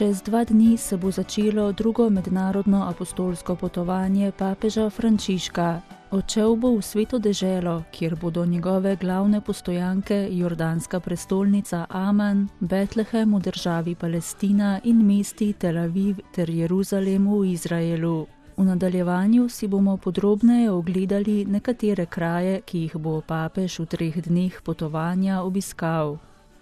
Čez 2 dni se bo začelo drugo mednarodno apostolsko potovanje papeža Frančiška. Odšel bo v Sveto deželo, kjer bodo njegove glavne postojanke jordanska prestolnica Aman, Betlehem v državi Palestina in mesti Tel Aviv ter Jeruzalem v Izraelu. V nadaljevanju si bomo podrobneje ogledali nekatere kraje, ki jih bo papež v 3 dneh potovanja obiskal.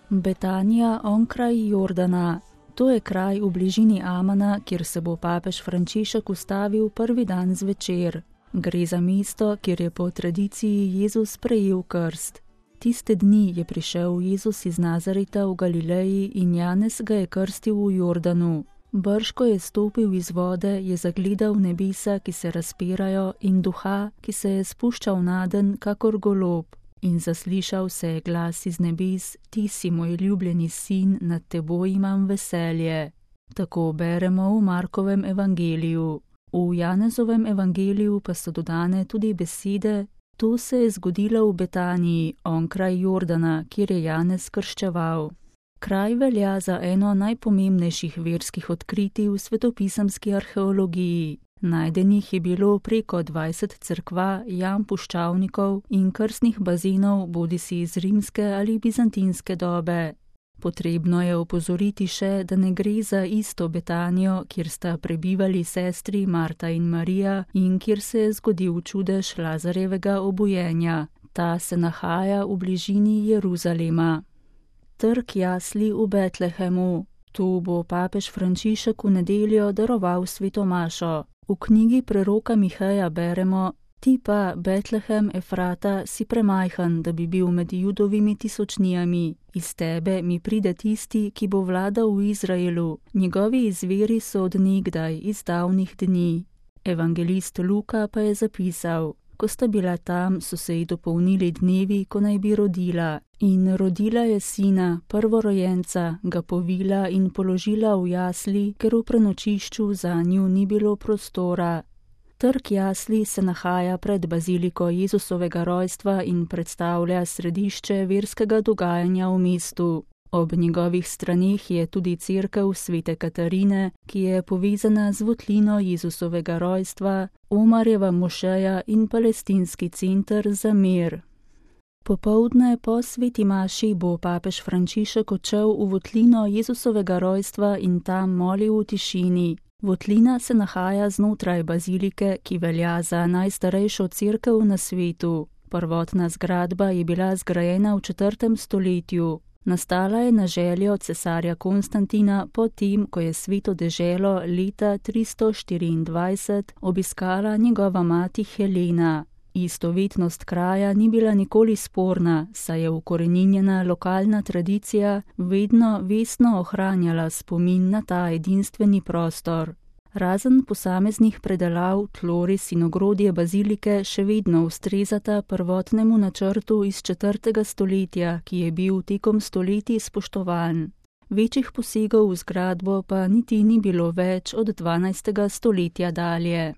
Betanija onkraj Jordana. To je kraj v bližini Amana, kjer se bo papež Frančišek ustavil prvi dan zvečer. Gre za mesto, kjer je po tradiciji Jezus prejel krst. Tiste dni je prišel Jezus iz Nazareta v Galileji in Janez ga je krstil v Jordanu. Brž ko je stopil iz vode, je zagledal nebesa, ki se razpirajo, in duha, ki se je spuščal nadenj kakor golob. In zaslišal se je glas iz nebes: Ti si moj ljubljeni sin, nad teboj imam veselje. Tako beremo v Markovem evangeliju. V Janezovem evangeliju pa so dodane tudi besede: To se je zgodilo v Betaniji, onkraj Jordana, kjer je Janez krščeval. Kraj velja za eno najpomembnejših verskih odkritij v svetopisemski arheologiji. Najdenih je bilo preko 20 cerkva, jam puščavnikov in krstnih bazenov, bodisi iz rimske ali bizantinske dobe. Potrebno je opozoriti še, da ne gre za isto Betanijo, kjer sta prebivali sestri Marta in Marija in kjer se je zgodil čudež Lazarjevega obujenja. Ta se nahaja v bližini Jeruzalema. Trg jasli v Betlehemu. Tu bo papež Frančišek v nedeljo daroval sveto mašo. V knjigi preroka Miheja beremo: Ti pa, Betlehem Efrata, si premajhen, da bi bil med Judovimi tisočnijami. Iz tebe mi pride tisti, ki bo vladal v Izraelu. Njegovi izviri so od nekdaj, iz davnih dni. Evangelist Luka pa je zapisal: Ko sta bila tam, so se ji dopolnili dnevi, ko naj bi rodila. In rodila je sina, prvorojenca, ga povila in položila v jasli, ker v prenočišču zanju ni bilo prostora. Trg jasli se nahaja pred baziliko Jezusovega rojstva in predstavlja središče verskega dogajanja v mestu. Ob njegovih straneh je tudi cerkev Svete Katarine, ki je povezana z votlino Jezusovega rojstva, Omarjeva mošeja in palestinski center za mir. Popoldne po sveti maši bo papež Frančišek odšel v votlino Jezusovega rojstva in tam molil v tišini. Votlina se nahaja znotraj bazilike, ki velja za najstarejšo cerkev na svetu. Prvotna zgradba je bila zgrajena v 4. stoletju. Nastala je na željo cesarja Konstantina potem, ko je Sveto deželo leta 324 obiskala njegova mati Helena. Istovetnost kraja ni bila nikoli sporna, saj je ukoreninjena lokalna tradicija vedno vestno ohranjala spomin na ta edinstveni prostor. Razen posameznih predelav, tloris in ogrodje bazilike še vedno ustrezata prvotnemu načrtu iz 4. stoletja, ki je bil tekom stoletij spoštovan. Večjih posegov v zgradbo pa niti ni bilo več od 12. stoletja dalje.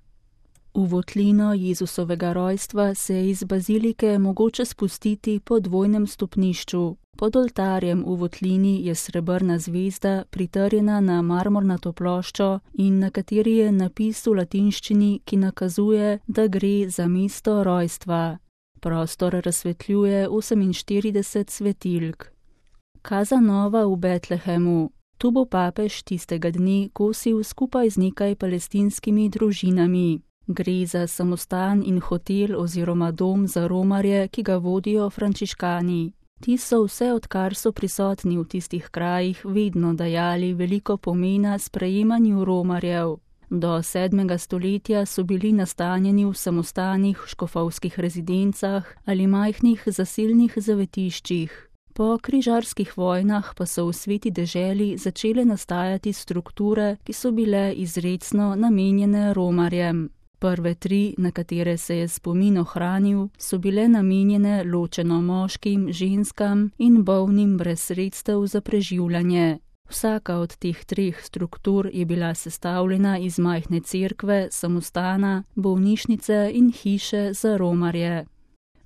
V votlino Jezusovega rojstva se je iz bazilike mogoče spustiti po dvojnem stopnišču. Pod oltarjem v votlini je srebrna zvezda pritrjena na marmornato ploščo in na kateri je napis v latinščini, ki nakazuje, da gre za mesto rojstva. Prostor razsvetljuje 48 svetilk. Kaza Nova v Betlehemu. Tu bo papež tistega dne kosil skupaj z nekaj palestinskimi družinami. Gre za samostan in hotel oziroma dom za romarje, ki ga vodijo frančiškani. Ti so vse, odkar so prisotni v tistih krajih, vedno dajali veliko pomena sprejemanju romarjev. Do 7. stoletja so bili nastanjeni v samostanih, škofovskih rezidencah ali majhnih zaselnih zavetiščih. Po križarskih vojnah pa so v Sveti deželi začele nastajati strukture, ki so bile izrecno namenjene romarjem. Prve 3, na katere se je spomin ohranil, so bile namenjene ločeno moškim, ženskam in bolnim brez sredstev za preživljanje. Vsaka od teh 3 struktur je bila sestavljena iz majhne cerkve, samostana, bolnišnice in hiše za romarje.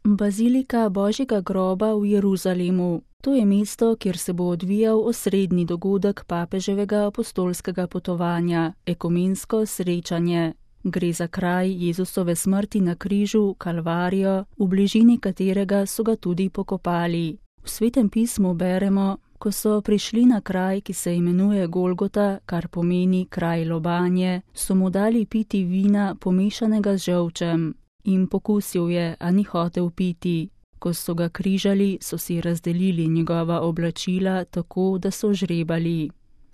Bazilika Božjega groba v Jeruzalemu. To je mesto, kjer se bo odvijal osrednji dogodek papeževega apostolskega potovanja, ekumensko srečanje. Gre za kraj Jezusove smrti na križu, Kalvarijo, v bližini katerega so ga tudi pokopali. V Svetem pismu beremo, ko so prišli na kraj, ki se imenuje Golgota, kar pomeni kraj lobanje, so mu dali piti vina pomešanega z žolčem. In pokusil je, a ni hotel piti. Ko so ga križali, so si razdelili njegova oblačila tako, da so žrebali.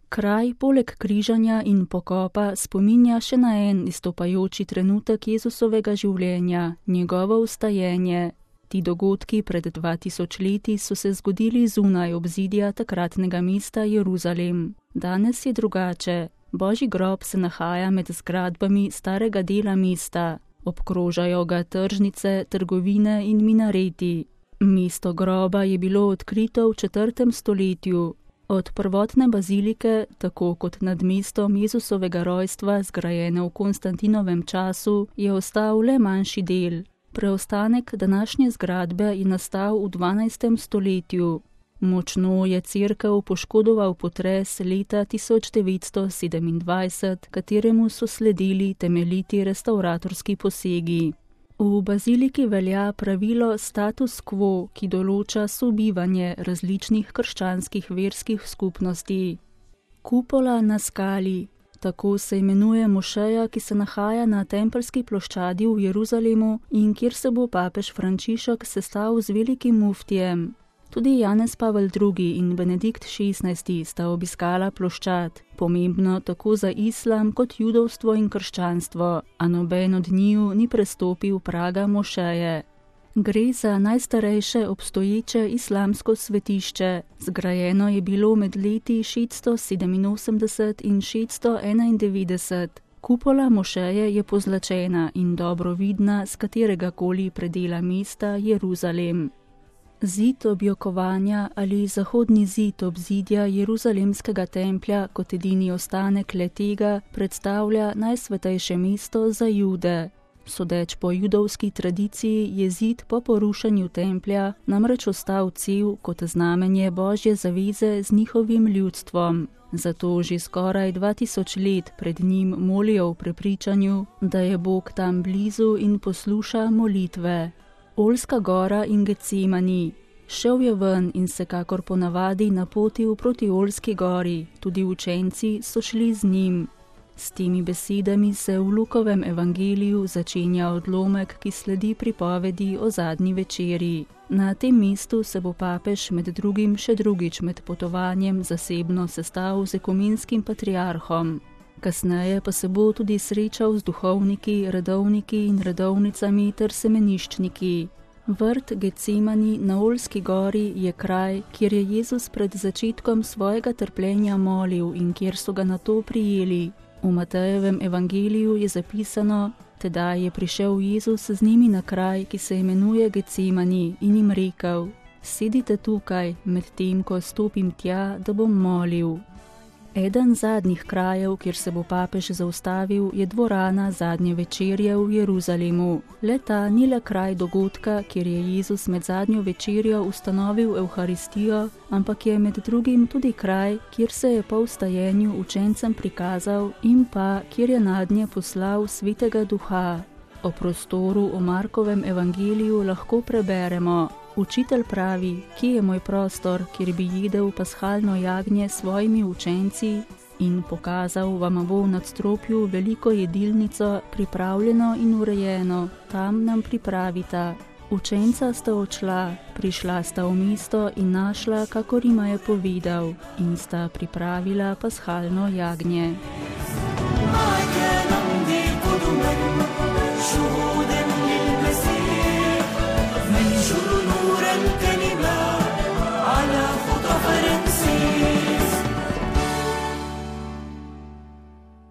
Kraj poleg križanja in pokopa spominja še na en izstopajoči trenutek Jezusovega življenja, njegovo vstajenje. Ti dogodki pred 2000 leti so se zgodili zunaj obzidja takratnega mesta Jeruzalem. Danes je drugače. Božji grob se nahaja med zgradbami starega dela mesta. Obkrožajo ga tržnice, trgovine in minareti. Mesto groba je bilo odkrito v 4. stoletju. Od prvotne bazilike, tako kot nad mestom Jezusovega rojstva, zgrajene v Konstantinovem času, je ostal le manjši del. Preostanek današnje zgradbe je nastal v 12. stoletju. Močno je cerkev poškodoval potres leta 1927, kateremu so sledili temeljiti restavratorski posegi. V baziliki velja pravilo status quo, ki določa sobivanje različnih krščanskih verskih skupnosti. Kupola na skali. Tako se imenuje mošeja, ki se nahaja na Tempeljski ploščadi v Jeruzalemu in kjer se bo papež Frančišek sestal z velikim muftijem. Tudi Janez Pavel II. In Benedikt XVI. Sta obiskala ploščad, pomembno tako za islam kot judovstvo in krščanstvo, a noben od njiju ni prestopil praga mošeje. Gre za najstarejše obstoječe islamsko svetišče. Zgrajeno je bilo med leti 687 in 691. Kupola mošeje je pozlačena in dobro vidna z kateregakoli predela mesta Jeruzalem. Zid objokovanja ali zahodni zid obzidja Jeruzalemskega templja kot edini ostanek le-tega predstavlja najsvetejše mesto za Jude. Sodeč po judovski tradiciji je zid po porušenju templja namreč ostal cel kot znamenje Božje zaveze z njihovim ljudstvom. Zato že skoraj 2000 let pred njim molijo v prepričanju, da je Bog tam blizu in posluša molitve. Oljska gora in Getsemani. Šel je ven in se kakor ponavadi napotil proti Oljski gori, tudi učenci so šli z njim. S temi besedami se v Lukovem evangeliju začenja odlomek, ki sledi pripovedi o zadnji večeri. Na tem mestu se bo papež med drugim še drugič med potovanjem zasebno sestal z ekumenskim patriarhom. Kasneje pa se bo tudi srečal z duhovniki, redovniki in redovnicami ter semeniščniki. Vrt Getsemani na Oljski gori je kraj, kjer je Jezus pred začetkom svojega trpljenja molil in kjer so ga nato prijeli. V Matejevem evangeliju je zapisano, tedaj je prišel Jezus z njimi na kraj, ki se imenuje Getsemani, in jim rekel: sedite tukaj, medtem ko stopim tja, da bom molil. Eden zadnjih krajev, kjer se bo papež zaustavil, je dvorana zadnje večerje v Jeruzalemu. Le-ta ni le kraj dogodka, kjer je Jezus med zadnjo večerjo ustanovil Evharistijo, ampak je med drugim tudi kraj, kjer se je po vstajenju učencem prikazal in pa kjer je nadnje poslal Svetega Duha. O prostoru v Markovem evangeliju lahko preberemo: Učitelj pravi, kje je moj prostor, kjer bi jedel pashalno jagnje s svojimi učenci, in pokazal vam bo v nadstropju veliko jedilnico, pripravljeno in urejeno, tam nam pripravita. Učenca sta odšla, prišla sta v mesto in našla, kakor jima je povedal, in sta pripravila pashalno jagnje.